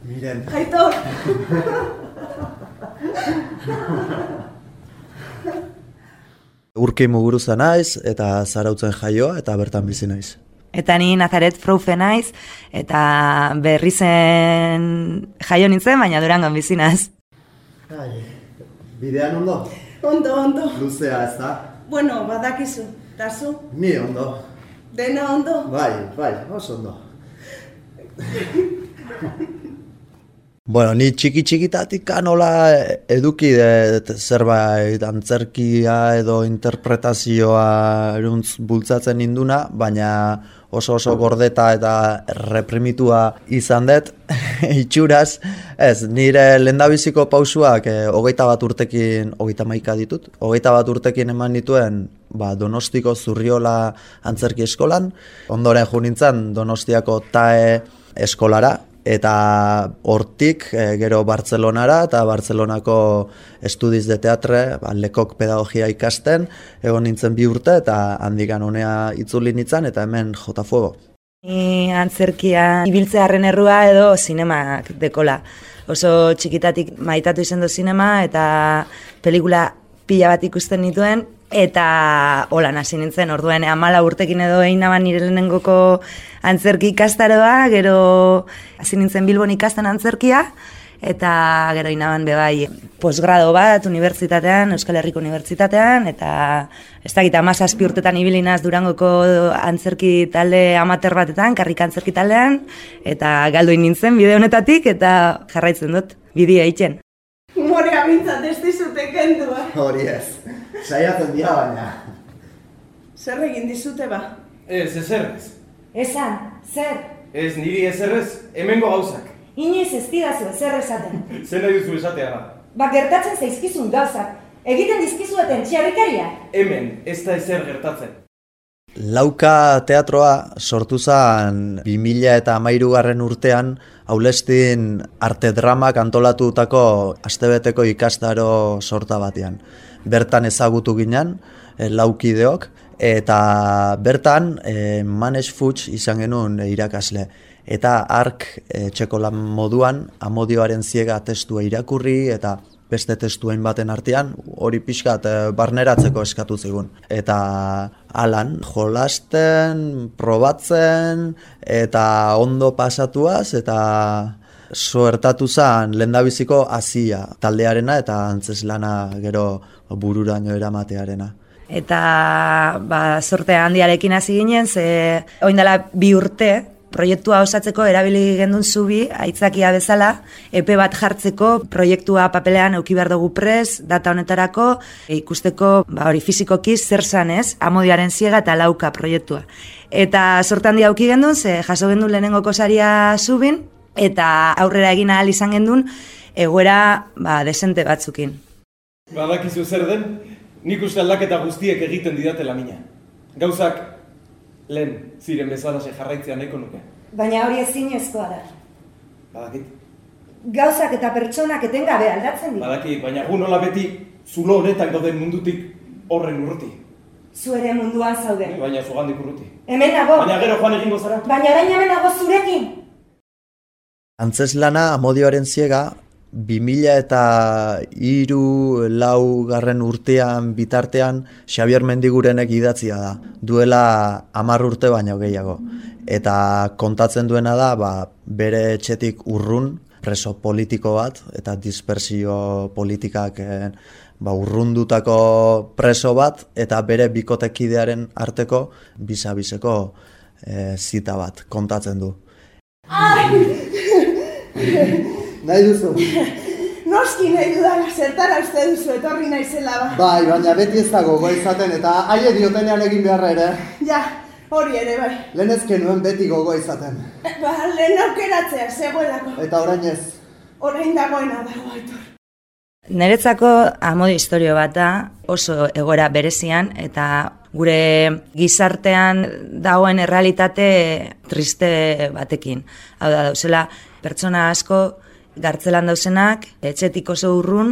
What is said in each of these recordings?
Miren. Aitor! Urki Muguruza naiz, eta Zarautzen jaioa, eta bertan bizi naiz. Eta ni Nazaret Froufe naiz, eta Berrizen jaio nintzen, baina Durangon bizi naiz. Bidean ondo? Ondo. Luzea ez da? Bueno, badakizu. Tazu? Ni ondo. Dena ondo? Bai, oso ondo. Bueno, ni txiki-txikitatik nola eduki zerbait antzerkia edo interpretazioa eruntz bultzatzen ninduna, baina oso gordeta eta reprimitua izan dut, itxuraz. Ez, nire lehendabiziko pausuak 21 urtekin, 31 ditut, 21 urtekin eman dituen Donostiko Zurriola antzerki eskolan, ondoren jo nintzen Donostiako TAE eskolara, eta hortik gero Bartzelonara eta Bartzelonako Estudiz de Teatre, Lekok pedagogia ikasten, egon nintzen 2 urte eta handikan honea itzuli nintzen eta hemen jota fuego. Ni antzerkia ibiltzearen errua edo zinemak dekola. Oso txikitatik maitatu izan du zinema eta pelikula pila bat ikusten nituen, eta holan hasi nintzen, orduen 14 urtekin edo egin naban nire lehenengoko antzerki ikastaroa, gero hasi nintzen Bilbon ikasten antzerkia, eta gero inaban bebai posgrado bat unibertsitatean, Euskal Herriko Unibertsitatean, eta ez dakit 17 urtetan ibili naiz Durangoko antzerki talde amateur batetan, karrika antzerki taldean, eta galduin nintzen bide honetatik, eta jarraitzen dut bidea egiten. Humorea bintzat ez dizute kendu, Hori ez. Saiatzen dira baina. Zer egin dizute ba? Ez, ezerrez. Esan, zer? Ez niri ezerrez, hemengo gauzak. Inoiz ez didazu ezer esaten. Zer nahi duzu esatea da? Ba, gertatzen zaizkizun gauzak. Egiten dizkizueten txarrikaria. Hemen, ez da ezer gertatzen. Lauka teatroa sortu zen 2013 urtean Aulestin arte dramak antolatutako astebeteko ikastaro sorta batean. Bertan ezagutu ginen, laukideok, eta bertan Manes Fuchs izan genuen irakasle. Eta hark txekolan moduan Amodioaren ziega testua irakurri eta beste testuen baten artean, hori pixkat barneratzeko eskatu zigun. Eta alan, jolasten, probatzen, eta ondo pasatuaz, eta suertatu zen lehendabiziko hasia taldearena eta antzeslana gero bururaino eramatearena. Eta sorte handiarekin hasi ginen, ze orain dela 2 urte, proiektua osatzeko erabili gendun zubi, aitzakia bezala, epe bat jartzeko, proiektua papelean eduki behar dugu prest, data honetarako, ikusteko, hori fizikoki zer zan ez, Amodioaren ziega eta lauka proiektua. Eta sorte handia eduki gendun, ze jaso gendun lehenengoko saria zubin, eta aurrera egin ahal izan gendun, egoera desente batzukin. Badakizu zer den, nik uste aldaketa guztiek egiten didatela mina. Gauzak lehen ziren bezalaxe jarraitzea nahiko nuke. Baina hori ezinezkoa da. Badakit. Gauzak eta pertsonak etengabe aldatzen dira. Badakit, baina gu nola beti zulo honetan gauden mundutik horren urruti. Zu ere munduan zaude. Baina zugandik urruti. Hemen nago. Baina gero joan egingo zara. Baina orain hemen nago zurekin. Antzeslana Amodioaren ziega 2003-2004 urtean bitartean Xabier Mendigurenek idatzia da, duela 10 urte baino gehiago. Eta kontatzen duena da, bere etxetik urrun, preso politiko bat, eta dispersio politikak urrundutako preso bat, eta bere bikotekidearen arteko bisa-biseko zita bat kontatzen du. Nahi duzu? Noski nahi dudala, zertara uste duzu etorri naizela ba. Bai, baina beti ez dago gogoa izaten eta haie diotenean egin beharra ere. Ja, hori ere bai. Lehen ezken nuen beti gogoa izaten. Lehen aukeratzea, zegoelako. Eta orain ez? Orain dagoena dago, Aitor. Niretzako Amodio istorio bat da, oso egoera berezian, eta gure gizartean dagoen errealitate triste batekin. Hau da, dauzela, pertsona asko gartzelan dauzenak, etxetik oso urrun.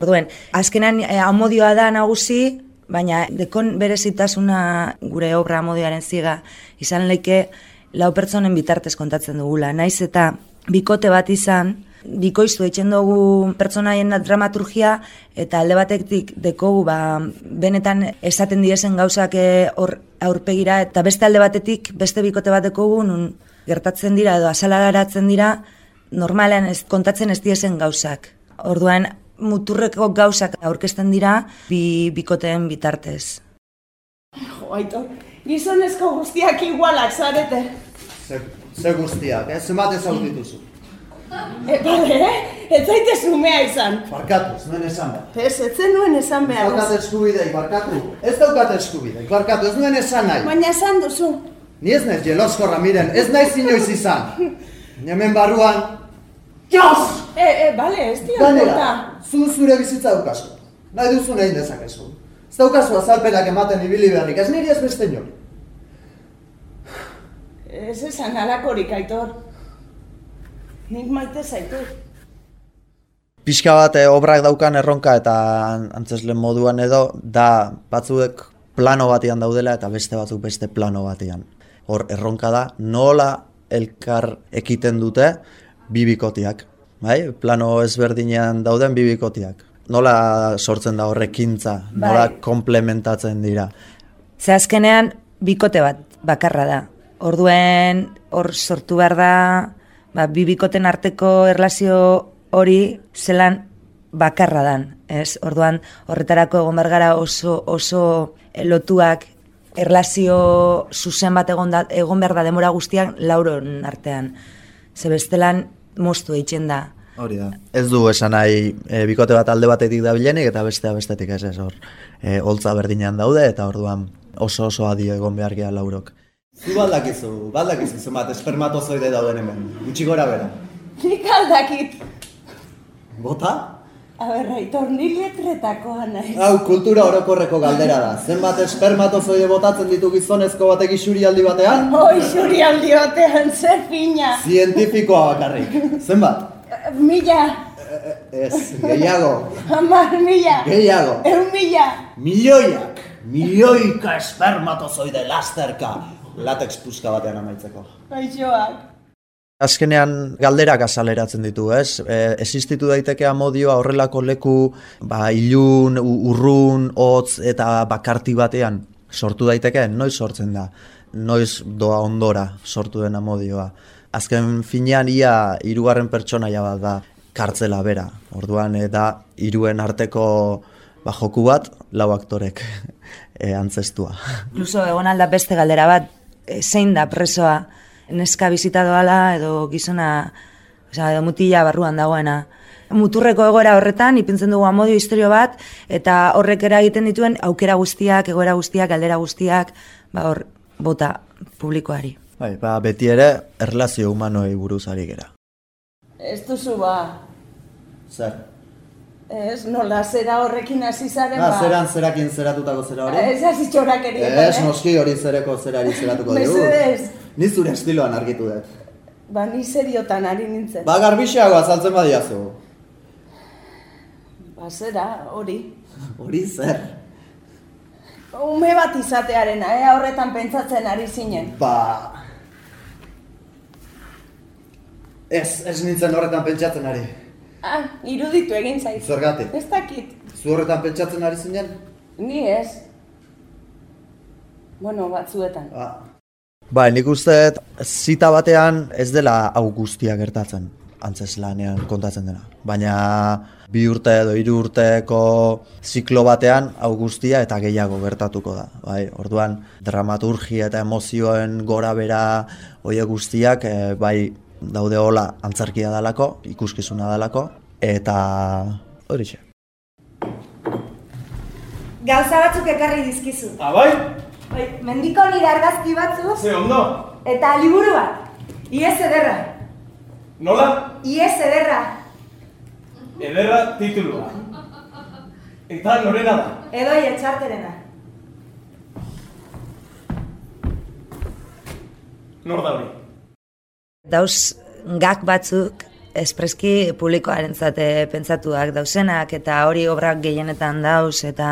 Orduen, azkenan Amodioa da nagusi, baina dekon berezitasuna gure obra Amodioaren ziega izan leike 4 pertsonen bitartez kontatzen dugula. Naiz eta bikote bat izan, bikoiztu eitzen dugu pertsonaien dramaturgia, eta alde batetik dekogu benetan esaten diezen gauzak hor aurpegira, eta beste alde batetik beste bikote bat dekogu nun gertatzen dira edo azalaratzen dira normalean kontatzen ez diezen gauzak. Orduan muturreko gauzak aurkezten dira bikoteen bitartez. Jo, Aitor, gizonezko guztiak igualak zarete. Ze guztiak, zenbat ezagut dituzu. Bale, ez zaite zumea izan. Barkatu, ez nuen esan behar. Ez zenuen esan behar. Ez daukat eskubidei, barkatu. Ez daukat eskubidei, barkatu, ez nuen esan nahi. Baina esan duzu. Ni ez naiz jeloskorra, miren, ez naiz inoiz izan. Hemen barruan, Jos! Bale, ez dio ganera, zure bizitza daukazu. Nahi duzu nahi dezakezu. Ez daukazu azalpenak ematen ibili beharrik, ez niri ez beste inori. Ez esan alakorik, Aitor. Nik maite zaitu. Pixka bat obrak daukan erronka eta antzeslen moduan edo, da batzuek plano batean daudela eta beste batzuk beste plano batean. Hor erronka da, nola elkar ekiten dute bibikotiak. Bai? Plano ezberdinean dauden bibikotiak. Nola sortzen da horrekintza, nola komplementatzen dira. Ze azkenean bikote bat bakarra da. Orduen hor sortu behar da bibikoten arteko erlazio hori zelan bakarra dan. Ez? Orduan horretarako egon behar gara oso lotuak, erlazio zuzen bat egon behar da demora guztiak lauron artean. Ze bestelan moztu eitzen da. Hori da. Ez du esan nahi bikote bat alde batetik dabilenik eta bestea bestetik ez hor. Holtza berdinean daude eta orduan oso adi egon behar gea laurok. Zu baldakizu zenbat espermatozoide dauden hemen, gutxi gora bera. Nik aldakit. Bota? Aber, Aitor, ni letretakoa naiz. Hau, kultura orokorreko galdera da. Zenbat espermatozoide botatzen ditu gizonezko batek isurialdi batean? Isurialdi batean, zer fina. Zientifikoa bakarrik. Zenbat? 1000. Ez, gehiago. 10.000. Gehiago. 1.000. Milioika espermatozoide lasterka. Latex puska batean amaitzeko. Gaixoak. Azkenean galderak azaleratzen ditu, ez? Existitu daiteke amodioa horrelako leku, ilun, urrun, hotz eta bakarti batean sortu daiteke, noiz sortzen da, noiz doa ondora sortu den amodioa. Azken finean ia 3. pertsonaia bat da kartzela bera, orduan da 3 arteko joku bat, 4 aktorek antzestua. Incluso egon alda beste galdera bat, zein da presoa, neska bizita doala edo gizona, edo mutila barruan dagoena. Muturreko egoera horretan, ipintzen dugu amodio historio bat, eta horrek eragiten dituen aukera guztiak, egoera guztiak, galdera guztiak, hor bota publikoari. Bai, beti ere erlazio humanoei buruz ari gera. Ez duzu Zer? Ez, nola zera horrekin hasi zaren Zerakin zeratutako zera hori? Ez hasi txorakeria. Ez, noski hori zereko zerari zeratuko dugu. Mesedez. Ni zure estiloan argitu dut. Ni seriotan ari nintzen. Garbixeago azaltzen badiazu. Zera, hori. Hori zer? Ume bat izatearena, horretan pentsatzen ari zinen. Ez nintzen horretan pentsatzen ari. Iruditu egin zaiz. Zergatik? Ez dakit. Zu horretan pentsatzen ari zinen? Ni ez. Bueno, batzuetan. Nik uste zita batean ez dela hau guztia gertatzen, antzeslanean kontatzen dena. Baina 2 urte edo 3 urteko ziklo batean hau guztia eta gehiago gertatuko da. Orduan dramaturgia eta emozioen gora bera horiek guztiak daude hola antzerkia dalako, ikuskizuna dalako, eta horixe. Gauza batzuk ekarri dizkizu. Bai? Mendiko nire argazki batzuk. Ze ondo? Eta liburu bat. Iez ederra. Nola? Iez ederra. Ederra titulua. Eta norena da? Edoi etxarterena. Nor da hori? Dauz gak batzuk espreski publikoarentzat pentsatuak dausenak, eta hori obrak gehienetan dauz, eta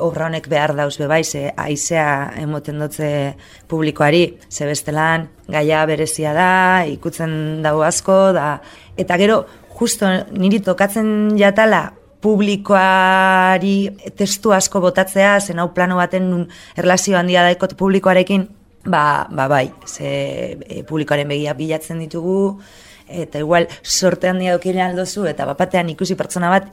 obra honek behar dauz bebaize, aizea emoten dutze publikoari, ze bestelan gaia berezia da, ikutzen dago asko, eta gero, justo niri tokatzen jatala, publikoari testu asko botatzea, zen hau plano baten nun erlazio handia daikot publikoarekin, bai, ze publikoaren begia bilatzen ditugu, eta igual sorte handia dukile aldozu, eta bapatean ikusi pertsona bat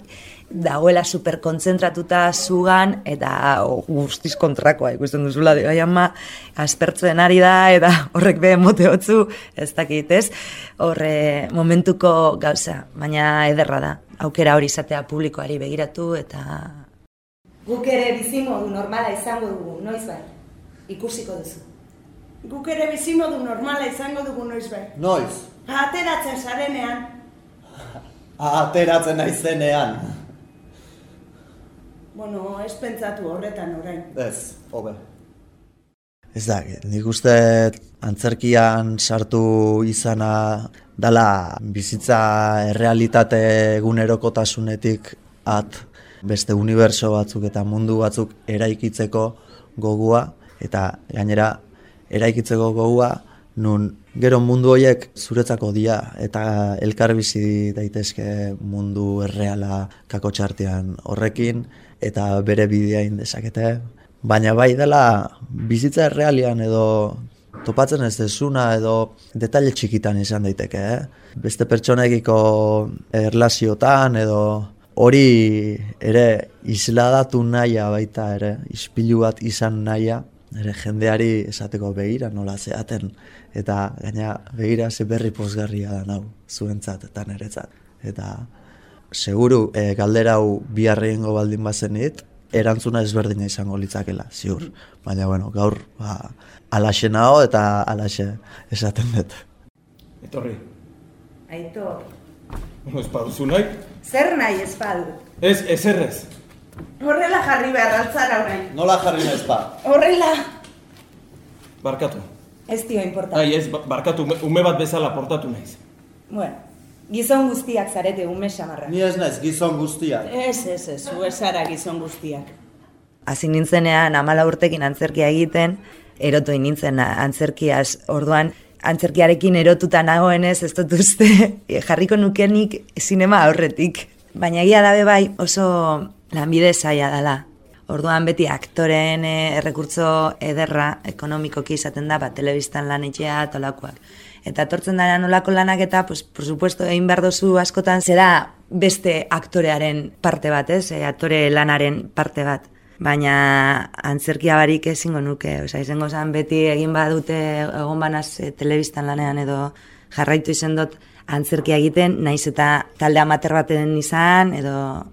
dagoela superkontzentratuta zugan, eta guztiz kontrakoa ikusten duzula, aspertzen ari da, eta horrek be mote hotzu, ez dakit, ez? Horre momentuko gauza, baina ederra da, aukera hori izatea publikoari begiratu, eta... Guk ere bizimodu normala izango dugu, noiz bai, ikusiko duzu. Guk ere bizimodu normala izango dugu noiz bai. Noiz? Ateratzen zarenean. Ateratzen naizenean. Bueno, ez pentsatu horretan orain. Ez, hobe. Ez da, nik uste antzerkian sartu izana dala bizitza errealitate egunerokotasunetik beste unibertso batzuk eta mundu batzuk eraikitzeko gogua, eta gainera eraikitzeko gogua nun gero mundu horiek zuretzako dira eta elkar bizi daitezke mundu erreala kakotxartean horrekin eta bere bidea indezakete. Baina bai dela bizitza errealian edo topatzen ez dezuna edo detaile txikitan izan daiteke, Beste pertsonekiko erlaziotan edo hori ere isladatu nahia baita ere, ispilu bat izan nahia, ere jendeari esateko begira nola zeaten, eta gaina begira ze berri pozgarria da nau, zuentzat eta niretzat. Eta seguru galdera hau biharreingo baldin bazenit, erantzuna ezberdina izango litzakela, ziur. Baina, bueno, gaur alaxe nao eta alaxe esaten dut. Etorri. Aitor. Ez baduzu nahi? Zer nahi ez badu? Ez, ezerrez. Horrela jarri behar altzara orain. Nola jarri naiz ba? Horrela. Barkatu. Ez dio importa. Ez, barkatu, ume bat bezala portatu naiz. Bueno, gizon guztiak zarete ume samarra. Ni ez naiz gizon guztiak. Ez, zu esara gizon guztiak. Hasi nintzenean 14 urtekin antzerkia egiten, erotu nintzen antzerkiaz, orduan antzerkiarekin erotuta nagoenez ez dut uste jarriko nukenik zinema aurretik. Baina egia dabe bai oso lanbide zaila dela. Orduan beti aktoren errekurtso ederra ekonomikoki izaten da, telebistan lan etxea tolakoak. Eta etortzen dara nolako lanak eta, por supuesto, egin behar dozu askotan zera beste aktorearen parte bat, aktore lanaren parte bat. Baina antzerkia barik ezingo nuke, izango zen beti egin badute egon banaz telebistan lanean edo jarraitu izan dut antzerkia egiten, naiz eta talde amater baten izan edo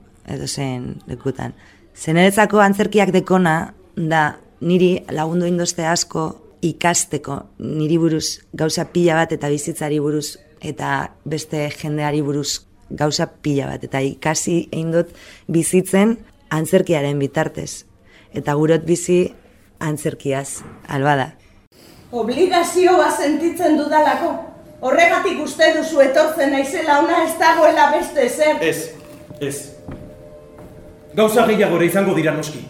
zen lekutan. Zeneretzako antzerkiak dekona da niri lagundu indoste asko ikasteko niri buruz gauza pila bat eta bizitzari buruz eta beste jendeari buruz gauza pila bat eta ikasi egin dut bizitzen antzerkiaren bitartez. Eta gurot bizi antzerkiaz, albada. Obligazioa sentitzen dudalako. Horregatik uste duzu etortzen naizela ona ez dagoela beste zer. Ez. Gauza gehiagore izango dira noski.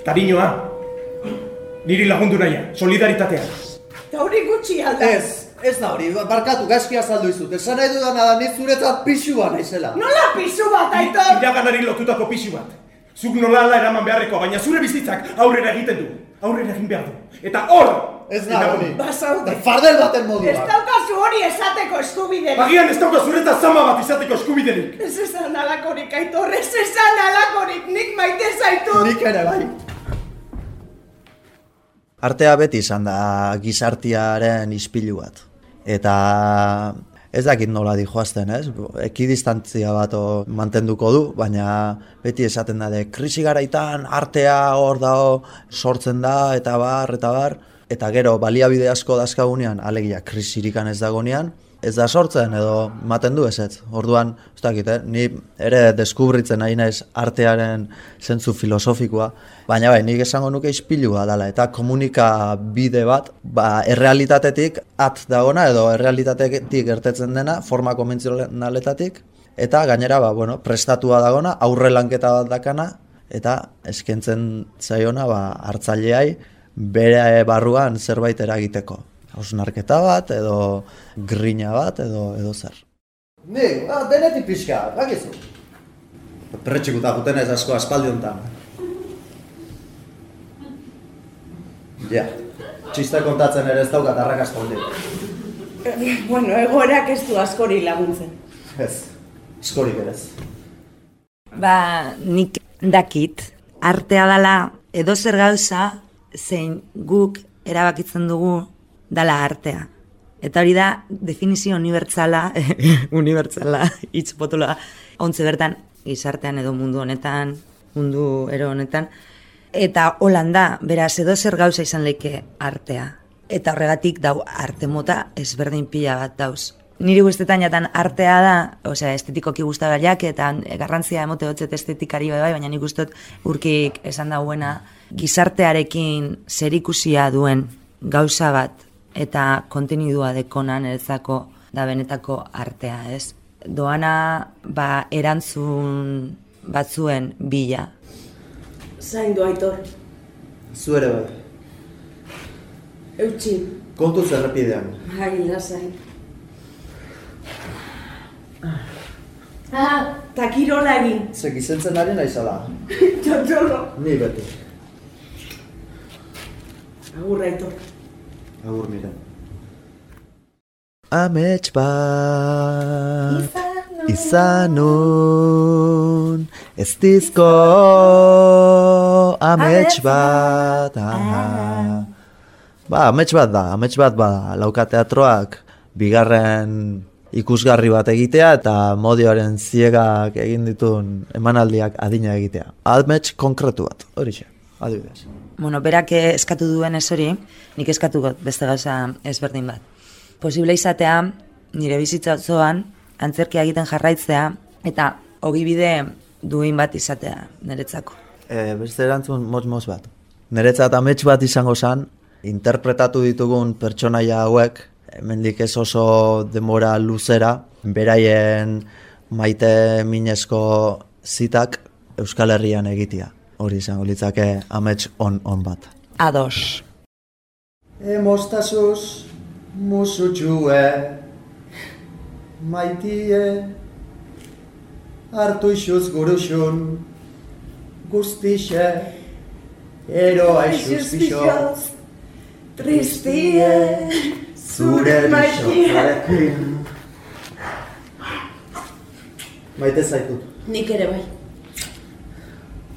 Kariñoa. Niri lagundu naia, solidaritatea. Eta hori gutxi alda. Ez da hori, barkatu, gaizki azaldu izut. Esan nahi dudana da, nik zuretzat pixua naizela. Nola pisu bat, Aitor? Iraganari lotutako pixu bat. Zuk nolala eraman beharrekoa, baina zure bizitzak aurrera egiten du. Aurrera egin behar du. Eta hor! Ez da hori. Basaude. Fardel baten modua. Ez daukazu hori esateko eskubiderik. Agian ez dauka zuretzat zama bat izateko eskubiderik. Ez esan alakorik, Aitor, ez esan alakorik. Nik maite zaitut. Nik ere bai. Artea beti izan da gizartiaren ispilu bat. Eta ez dakit nola dijoazten, ez? Ekidistantzia bat mantenduko du, baina beti esaten da krisi garaitan artea hor dago sortzen da, eta bar. Eta gero baliabide asko dazkagunean, alegia krisirikan ez dagonean, ez da sortzen edo ematen du ezetz. Orduan, ez dakit, ni ere deskubritzen nahi naiz artearen zentzu filosofikoa, baina bai, nik esango nuke ispilua dela, eta komunikabide bat, errealitatetik at dagona edo errealitatetik gertetzen dena, forma konbentzionaletatik, eta gainera, prestatua dagona, aurre lanketa bat dakana, eta eskentzen zaiona hartzaileai bere barruan zerbait eragiteko. Hausnarketa bat, edo grina bat, edo zer. Nik, denetik pixka, bakizu. Pretxikuta juten ez asko aspaldi honetan. Ja, txiste kontatzen ere ez daukat arrakasta hondik. Bueno, egoerak ez du askori laguntzen. Ez, askorik ere ez. Nik dakit, artea dela edozer gauza zein guk erabakitzen dugu dala artea. Eta hori da definizio unibertsala, hitz potoloa, ontze bertan gizartean edo mundu honetan, mundu ero honetan, eta holan da, beraz edozer gauza izan leike artea. Eta horregatik dau arte mota ezberdin pila bat dauz. Niri guztetan jatan artea da, estetikoki guztagaiak eta garrantzia emote hotzet estetikari bai, baina nik guztot urkik esan dauena gizartearekin zerikusia duen gauza bat eta kontenidua dekonan eretzako da benetako artea, ez? Doana erantzun batzuen bila. Zaindu Aitor. Zu ere bai. Eutxi. Kontuz errepidean. Bai, lasai. Takirola egin. Zek izentzen ari naizala. Txotxolo. Ni beti. Agur Aitor. Agur nire. Amets bat izanun ez dizko amets bat. Amets bat da, Lauka teatroak bigarren ikusgarri bat egitea eta modioaren ziegak egin dituen emanaldiak adina egitea. Amets konkretu bat, horixe, adibidez. Berak eskatu duen ez hori, nik eskatu got beste gauza ezberdin bat. Posible izatea, nire bizitza osoan, antzerkia egiten jarraitzea, eta ogibide duin bat izatea niretzako. Beste erantzun motz bat. Niretzat amets bat izango zen, interpretatu ditugun pertsonaia hauek, hemendik ez oso denbora luzera, beraien maite minezko zitak Euskal Herrian egitea. Hori izango litzake amets on bat. Ados. Emostazuz, musutxue, maitie, hartu isuz guruxun, guztixe, eroa isuz bixoz, tristie, zure bixotzarekin. Maite zaitut. Nik ere bai.